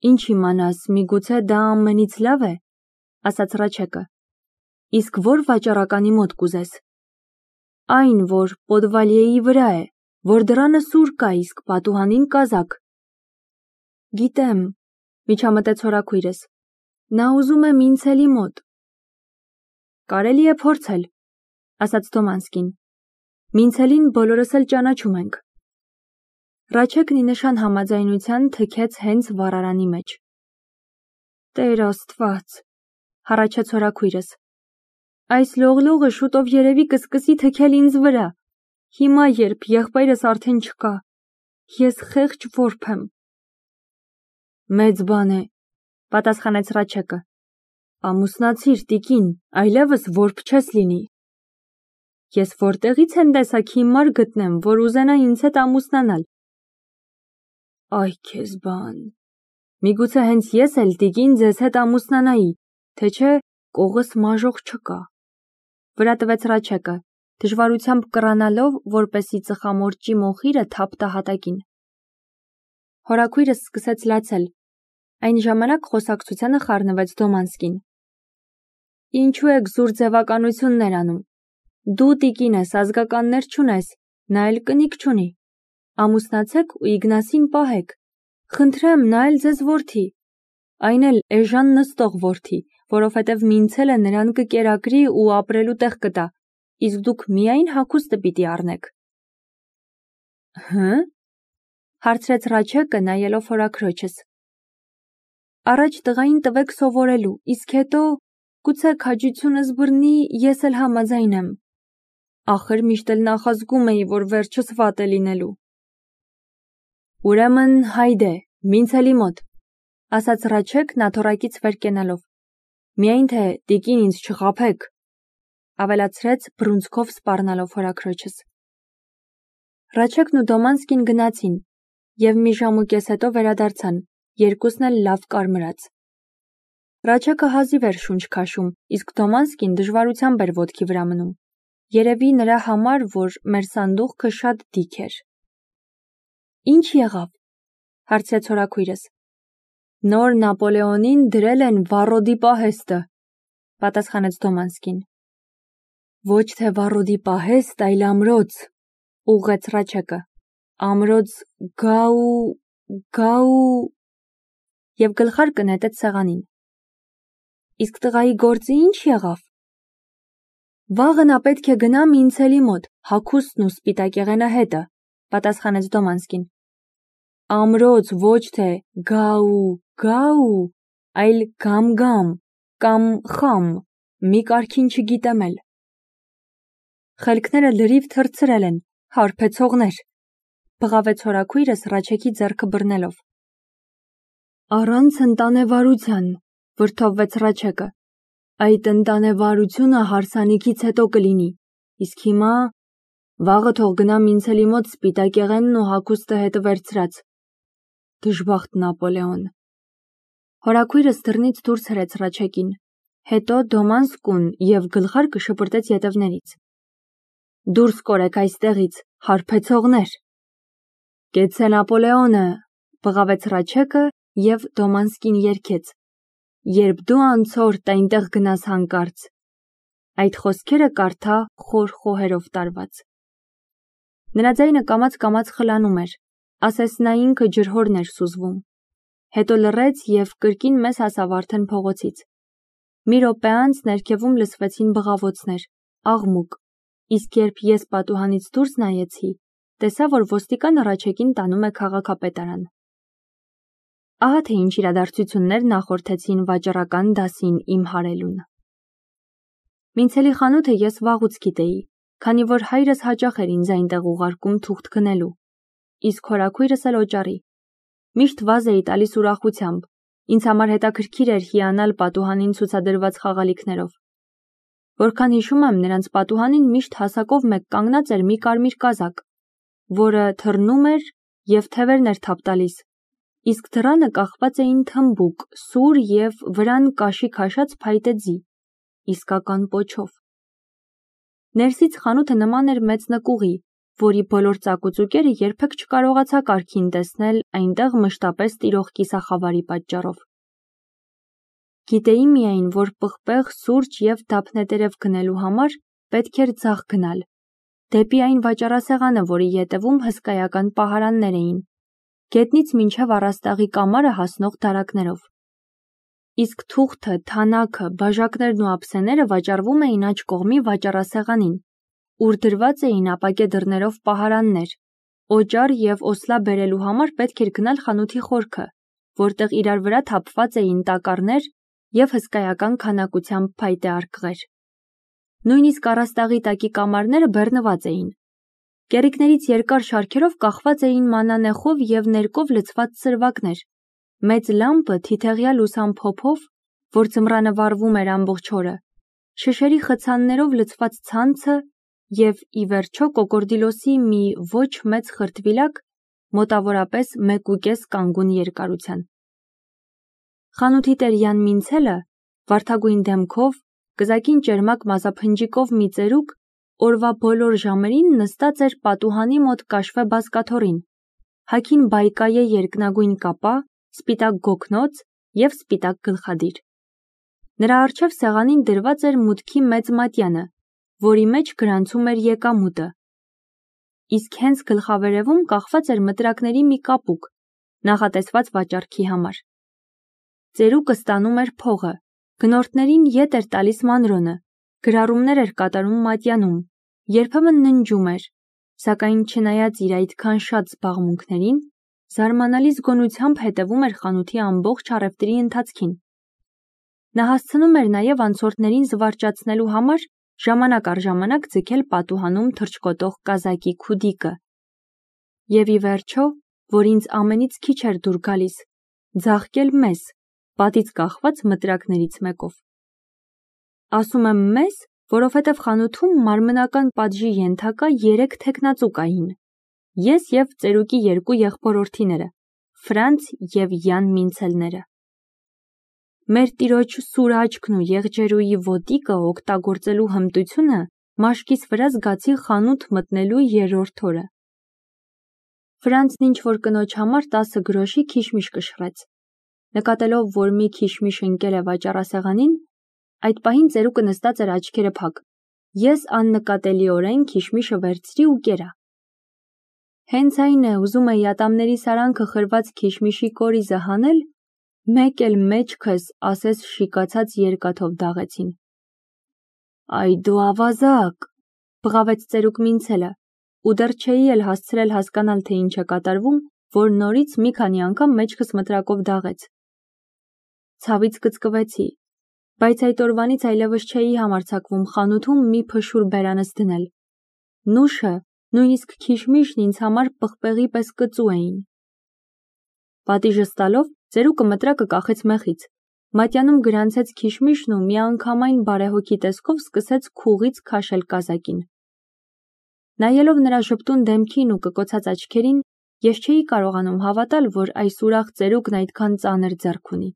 Ինչ իմանաս, միգուցե դա ամենից լավ է, ասաց Ռաչեկը, իսկ որ վաճառականի մոտ կուզես։ Այն, որ պոդվալիեի վրա է, որ դռանը սուր կա, իսկ պատուհանին կազակ։ Գիտեմ, միջամտեց հորաքույրս, նա ուզում է Մինցելի մոտ։ Կարելի է փորձել, ասաց Դոմանսկին, Մինցելին բոլորս էլ ճանաչում ենք։ Ռաչեկն ի նշան համաձայնության թքեց հենց վառարանի մեջ։ Տեր Աստված, հառաչեց հորաքույրս, այս լողլողը շուտով երևի կսկսի թքել ինձ վրա, հիմա երբ եղբայրս արդեն չկա, ես խեղճ որբ եմ։ Մեծ բան է, պատասխանեց Ռաչեկը, ամուսնացիր տիկին, այլևս որբ չես լինի։ Ես որտեղից են տեսակ հիմար գտնեմ, որ ուզենա ինձ հետ ամուսնանալ։ Այ քեզ բան, միգուցե հենց ես էլ տիկին ձեզ հետ ամուսնանայի, թե չէ կողս մաժող չկա։ Վրա տվեց Ռաչեկը, դժվարությամբ կռանալով, որպեսի ծխամորճի մոխիրը թափ տա հատակին։ Հորաքույրս սկսեց լացել, այն ժամանակ խոսակցությանը խառնվեց Դոմանսկին։ Ինչու եք զուր ձևականություններ անում։ Դու տիկին ես, ազգականներ չունես, նա էլ կնիկ չունի։ Ամուսնացեք ու Իգնասին պահեք։ Խնդրեմ, նա էլ ձեզ որդի, այն էլ էժան նստող որդի, որովհետև Մինցելը նրան կկերակրի ու ապրելու տեղ կտա, իսկ դուք միայն հագուստը պիտի առնեք։ Հը՞, հարցրեց Ռաչեկը, նայելով հորաքրոջս։ Առաջ տղային տվեք սովորելու, իսկ հետո գուցե քաջությունս բռնի, ես էլ համաձայն եմ։ Ախր միշտ էլ նախազգում էի, որ վերջս վատ է լինելու։ Ուրեմն հայդե, Մինցելի մոտ, ասաց Ռաչեկն աթոռակից վեր կենալով։ Միայն թե տիկին ինձ չխաբեք, ավելացրեց բռունցքով սպառնալով հորաքրոջս։ Ռաչեկն ու Դոմանսկին գնացին և մի ժամ ու կես հետո վերադարձան, երկուսն էլ լավ կարմրած։ Ռաչեկը հազիվ էր շունչ քաշում, իսկ Դոմանսկին դժվարությամբ էր ոտքի վրա մնում։ Երևի նրա համար, որ մեր սանդուղքը շատ դիք էր։ Ինչ եղավ, հարցրեց հորաքույրս։ Նոր Նապոլեոնին դրել են վառոդի պահեստը, պատասխանեց Դոմանսկին։ Ոչ թե վառոդի պահեստ, այլ ամրոց, ուղղեց Ռաչեկը։ Ամրոց գաու և գլխարկը նետեց սեղանին։ Իսկ տղայի գործը ինչ եղավ։ Վաղը նա պետք է գնա Մինցելի մոտ, հագուստն ու սպիտակեղենը հետը, պատասխանեց Դոմանսկին։ Ամրոց ոչ թե գաու, այլ գամ կամ խամ, մի կարգին չգիտեմ էլ։ Խելքները լրիվ թռցրել են, հարբեցողներ, բղավեց հորաքույրս Ռաչեկի ձեռքը բռնելով։ Առանց ընտանեվարության, վրդովվեց Ռաչեկը։ Այդ ընտանեվարությունը հարսանիքից հետո կլինի, իսկ հիմա վաղը թող գնա Մինցելի մոտ սպիտակեղենն ու հագուստը հետը վերցրած։ Դժբախտ Նապոլեոն։ Հորաքույրս դռնից դուրս հրեց Ռաչեկին, հետո Դոմանսկուն և գլխարկը շպրտեց ետևներից։ Դուրս կորեք այստեղից, հարբեցողներ։ Կեցցե Նապոլեոնը, բղավեց Ռաչեկը և Դոմանսկին երգեց։ Երբ դու անցորդ այնտեղ գնաս հանկարծ։ Այդ խոսքերը կարդա խոր խոհերով տարված։ Նրա ձայնը կամաց խլանում էր, ասես նա ինքը ջրհորն էր սուզվում։ Հետո լռեց և կրկին մեզ հասավ արդեն փողոցից։ Մի րոպե անց ներքևում լսվեցին բղավոցներ, աղմուկ, իսկ երբ ես պատուհանից դուրս նայեցի, տեսա, որ ոստիկանը Ռաչեկին տանում է քաղաքապետարան։ Ահա թե ինչ իրադարձություններ նախորդեցին վաճառական դասին իմ հարելուն։ Մինցելի խանութը ես վաղուց գիտեի, քանի որ հայրս հաճախ էր ինձ այնտեղ ուղարկում թուղթ գնելու, իսկ հորաքույրս էլ օճառի։ Միշտ վազ էի տալիս ուրախությամբ, ինձ համար հետաքրքիր էր հիանալ պատուհանին ցուցադրված խաղալիքներով։ Որքան հիշում եմ, նրանց պատուհանին միշտ հասակով մեկ կանգնած էր մի կարմիր կազակ, որը թռնում էր և թևերն էր թափ տալիս, իսկ դռանը կախված էին թմբուկ, սուր և վրան կաշի քաշած փայտե ձի, իսկական պոչով։ Ներսից խանութը նման էր մեծ նկուղի, որի բոլոր ծակուծուկերը երբեք չկարողացա կարգին տեսնել այնտեղ մշտապես տիրող կիսախավարի պատճառով։ Գիտեի միայն, որ պղպեղ, սուրճ և դափնետերև գնելու համար պետք էր ձախ գնալ, դեպի այն վաճառասեղանը, որի ետևում հսկայական պահարաններ էին, գետնից մինչև առաստաղի կամարը հասնող դարակներով։ Իսկ թուղթը, թանաքը, բաժակներն ու ափսեները վաճառվում էին աջ կողմի վաճառասեղանին, ուր դրված էին ապակե դռներով պահարաններ, օճառ և օսլա բերելու համար պետք էր գնալ խանութի խորքը, որտեղ իրար վրա թափված էին տակառներ և հսկայական քանակությամբ փայտե արկղեր։ Նույնիսկ առաստաղի տակի կամարները բեռնված էին։ Կեռիկներից երկար շարքերով կախված էին մանանեխով և ներկով լցված սրվակներ, մեծ լամպը թիթեղյա լուսամփոփով, որ ձմռանը վառվում էր ամբողջ օրը, շշերի խցաններով լցված ցանցը և, ի վերջո, կոկորդիլոսի մի ոչ մեծ խրտվիլակ, մոտավորապես 1,5 կանգուն երկարության։ Խանութի տեր Յան Մինցելը, վարդագույն դեմքով, կզակին ճերմակ մազափնջիկով մի ծերուկ, օրվա բոլոր ժամերին նստած էր պատուհանի մոտ կաշվե բազկաթոռին, հագին բայկայե երկնագույն կապա, սպիտակ գոգնոց և սպիտակ գլխադիր։ Նրա առջև սեղանին դրված էր մուտքի մեծ մատյանը, որի մեջ գրանցում էր եկամուտը։ Իսկ հենց գլխավերևում կախված էր մտրակների մի կապուկ, նախատեսված վաճառքի համար։ Ծերուկը ստանում էր փողը, գնորդներին ետ էր տալիս մանրոնը, գրառումներ էր կատարում մատյանում, երբեմն ննջում էր, սակայն չնայած իր այդքան շատ զբաղմունքներին, զարմանալի զգոնությամբ հետևում էր խանութի ամբողջ առևտրի ընթացքին։ Նա հասցնում էր նաև անցորդներին զվարճացնելու համար ժամանակ առ ժամանակ ձգել պատուհանում թռչկոտող կազակի քուդիկը։ Եվ ի վերջո, որ ինձ ամենից քիչ էր դուր գալիս, ձաղկել մեզ, պատից կախված մտրակներից մեկով։ Ասում եմ մեզ, որովհետև խանութում մարմնական պատժի ենթակա 3 թեկնածու կային. ես և ծերուկի 2 եղբորորդիները, Ֆրանց և Յան Մինցելները։ Մեր տիրոջ սուր աչքն ու եղջերուի ոտիկը օգտագործելու հմտությունը մաշկիս վրա զգացի խանութ մտնելու 3-րդ օրը։ Ֆրանցն ինչ-որ կնոջ համար 10 գրոշի քիշմիշ կշռեց։ Նկատելով, որ մի քիշմիշ ընկել է վաճառասեղանին, այդ պահին ծերուկը նստած էր աչքերը փակ, ես աննկատելիորեն քիշմիշը վերցրի ու կերա։ Հենց այն է, ուզում էի ատամների սարանքը խրված քիշմիշի կորիզը հանել, մեկ էլ մեջքս ասես շիկացած երկաթով դաղեցին։ Այ դու ավազակ, բղավեց ծերուկ Մինցելը, ու դեռ չէի էլ հասցրել հասկանալ, թե ինչ է կատարվում, որ նորից մի քանի անգամ մեջքս մտրակով դաղեց։ Ցավից կծկվեցի, բայց այդ օրվանից այլևս չէի համարձակվում խանութում մի փշուր բերանս դնել։ Նուշը, նույնիսկ քիշմիշն ինձ համար պղպեղի պես կծու էին։ Պատիժս տալով, ծերուկը մտրակը կախեց մეხից, մատյանում գրանցեց քիշմիշն ու միանգամայն բարեհոգի տեսքով սկսեց քուղից քաշել կազակին։ Նայելով նրա ժպտուն դեմքին ու կկոցած աչքերին, ես չէի կարողանում հավատալ, որ այս ուրախ ծերուկն այդքան ծանր ձեռք ունի։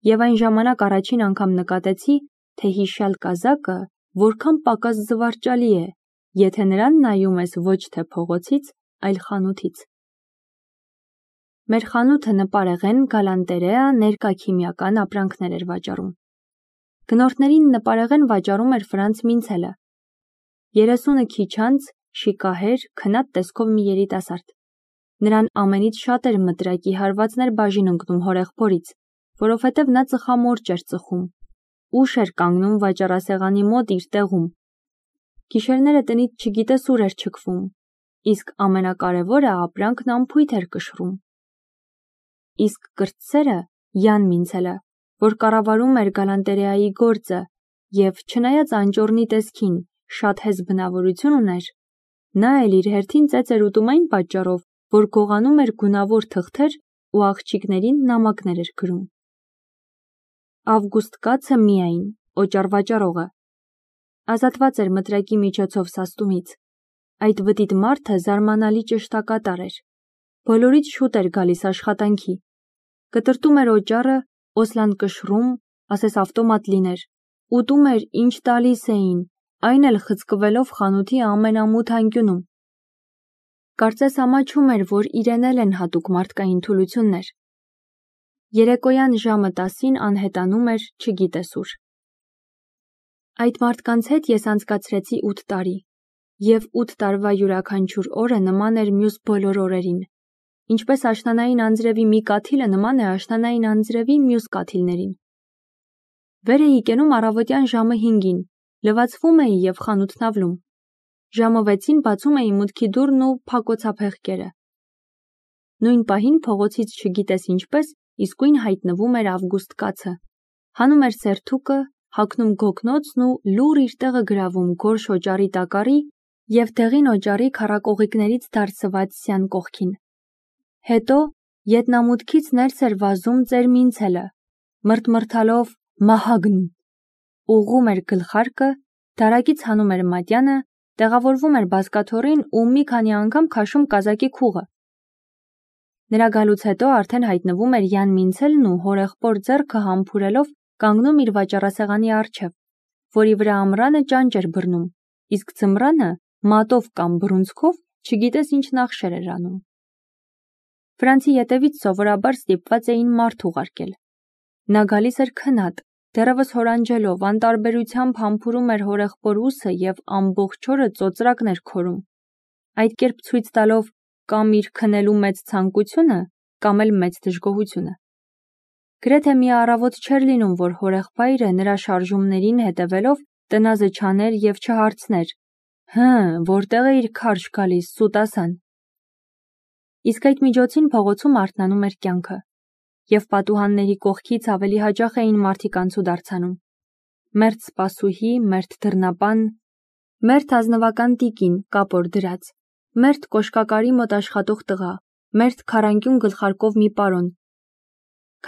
Եվ այն ժամանակ առաջին անգամ նկատեցի, թե հիշյալ կազակը որքան պակաս զվարճալի է, եթե նրան նայում ես ոչ թե փողոցից, այլ խանութից։ Մեր խանութը նպարեղեն, գալանտերեա, ներկա քիմիական ապրանքներ էր վաճառում։ Գնորդներին նպարեղեն վաճառում էր Ֆրանց Մինցելը։ 30-ը քիչ անց, շիկահեր, քնած տեսքով մի երիտասարդ։ Նրան ամենից շատ էր մտրակի հարվածներ բաժին ընկնում հորեղբորից, որովհետև նա ծխամորճ էր ծխում, ուշ էր կանգնում վաճառասեղանի մոտ իր տեղում։ Գիշերները տնից չգիտես ուր էր չքվում, իսկ ամենակարևորը ապրանքն անփույթ էր կշռում։ Իսկ կրտսերը, Յան Մինցելը, որ կառավարում էր գալանտերեայի գործը և չնայած անճոռնի տեսքին շատ հեզ բնավորություն ուներ, նա էլ իր հերթին ծեծ էր ուտում այն պատճառով, որ գողանում էր գունավոր թղթեր ու աղջիկներին նամակներ էր գրում։ Ավգուստ կացը միայն, օճառ վաճառողը, ազատված էր մտրակի միջոցով սաստումից։ Այդ վտիտ մարդը զարմանալի ճշտակատար էր։ Բոլորից շուտ էր գալիս աշխատանքի։ Կտրտում էր օճառը, օսլան կշռում, ասես ավտոմատ լիներ, ուտում էր, ինչ տալիս էին, այն էլ խցկվելով խանութի ամենամութ անկյունում։ Կարծես ամաչում էր, որ իրեն էլ են հատուկ մարդկային թուլություններ։ Երեկոյան ժամը 10-ին անհետանում էր, չգիտես ուր։ Այդ մարդկանց հետ ես անցկացրեցի 8 տարի, և 8 տարվա յուրաքանչյուր օրը նման էր մյուս բոլոր օրերին, ինչպես աշնանային անձրևի մի կաթիլը նման է աշնանային անձրևի մյուս կաթիլներին։ Վեր էի կենում առավոտյան ժամը 5-ին, լվացվում էի և խանութն ավլում։ Ժամը 6-ին բացում էի մուտքի դուռն ու փակոցափեղկերը։ Նույն պահին փողոցից չգիտես ինչպես իսկույն հայտնվում էր Ավգուստ կացը, հանում էր սերթուկը, հագնում գոգնոցն ու լուռ իր տեղը գրավում գորշ օճառի տակառի և դեղին օճառի քառակողիկներից դարսված սյան կողքին։ Հետո ետնամուտքից ներս էր վազում ծերմինցելը, մրթմրթալով «Մահագն», ուղղում էր գլխարկը, դարակից հանում էր մատյանը, տեղավորվում էր բազկաթոռին ու մի քանի անգամ քաշում կազակի քուղը։ Նրա գալուց հետո արդեն հայտնվում էր Յան Մինցելն ու հորեղբոր ձեռքը համբուրելով կանգնում իր վաճառասեղանի առջև, որի վրա ամռանը ճանճ էր բռնում, իսկ ձմռանը մատով կամ բռունցքով չգիտես ինչ նախշեր էր անում։ Վրանցի ետևից սովորաբար ստիպված էին մարդ ուղարկել։ Նա գալիս էր քնած, դեռևս հորանջելով, անտարբերությամբ համբուրում էր հորեղբոր ուսը և ամբողջ օրը ծոծրակն էր քորում, այդ կերպ ցույց տալով կամ իր քնելու մեծ ցանկությունը, կամ էլ մեծ դժգոհությունը։ Գրեթե մի առավոտ չէր լինում, որ հորեղբայրը նրա շարժումներին հետևելով տնազը չաներ և չհարցներ. որտեղ էիր քարշ գալիս, սուտասան։ Իսկ այդ միջոցին փողոցում արթնանում էր կյանքը, և պատուհանների կողքից ավելի հաճախ էին մարդիկ անցուդարձանում։ Մերթ սպասուհի, մերթ դռնապան, մերթ ազնվական տիկին, կապոր դրած, մերթ կոշկակարի մոտ աշխատող տղա, մերթ քառանկյուն գլխարկով մի պարոն։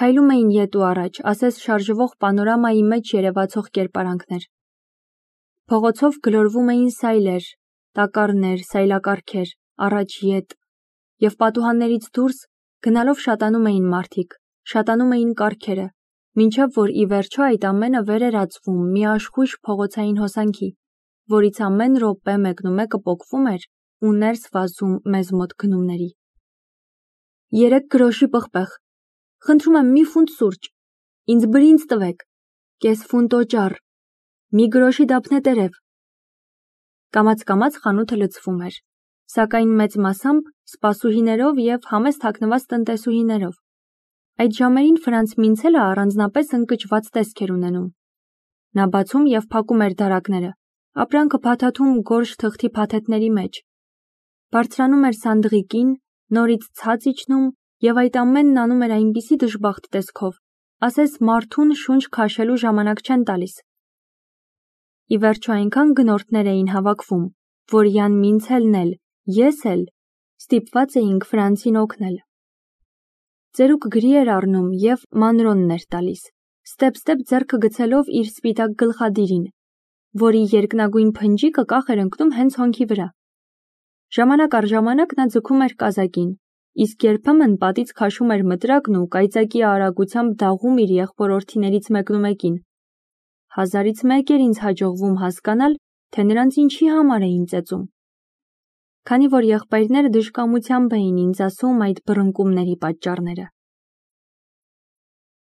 Քայլում էին ետ ու առաջ, ասես շարժվող պանորամայի մեջ երևացող կերպարանքներ։ Փողոցով գլորվում էին սայլեր, տակառներ, սայլակառքեր, առաջ-ետ, և պատուհաններից դուրս գնալով շատանում էին մարդիկ, շատանում էին կառքերը, մինչև որ ի վերջո այդ ամենը վեր էր ածվում մի աշխույժ փողոցային հոսանքի, որից ամեն րոպե մեկնումեկը պոկվում էր ու ներս վազում մեզ մոտ գնումների։ 3 գրոշի պղպեղ, խնդրում եմ մի ֆունտ սուրճ, ինձ բրինձ տվեք, կես ֆունտ օճառ, մի գրոշի դափնետերև։ Կամաց-կամաց խանութը լցվում էր, սակայն մեծ մասամբ սպասուհիներով և համեստ հագնված տնտեսուհիներով։ Այդ ժամերին Ֆրանց Մինցելը առանձնապես ընկճված տեսք էր ունենում։ Նա բացում և փակում էր դարակները, ապրանքը փաթաթում գորշ թղթի փաթեթների մեջ, բարձրանում էր սանդղիկին, նորից ցած իջնում և այդ ամենն անում էր այնպիսի դժբախտ տեսքով, ասես մարդուն շունչ քաշելու ժամանակ չեն տալիս։ Ի վերջո այնքան գնորդներ էին հավաքվում, որ Յան Մինցելն էլ, ես էլ ստիպված էինք Ֆրանցին օգնել։ Ծերուկ գրի էր առնում և մանրոնն էր տալիս, ստեպ-ստեպ ձեռքը գցելով իր սպիտակ գլխադիրին, որի երկնագույն փնջիկը կախ էր ընկնում հենց հոնքի վրա։ Ժամանակ առ ժամանակ նա ձգում էր կազակին, իսկ երբեմն պատից քաշում էր մտրակն ու կայծակի արագությամբ դաղում իր եղբորորդիներից մեկնումեկին։ 1000-ից մեկ էր ինձ հաջողվում հասկանալ, թե նրանց ինչի համար էին ծեծում։ Քանի որ եղբայրները դժկամությամբ էին ինձ ասում այդ բռնկումների պատճառները։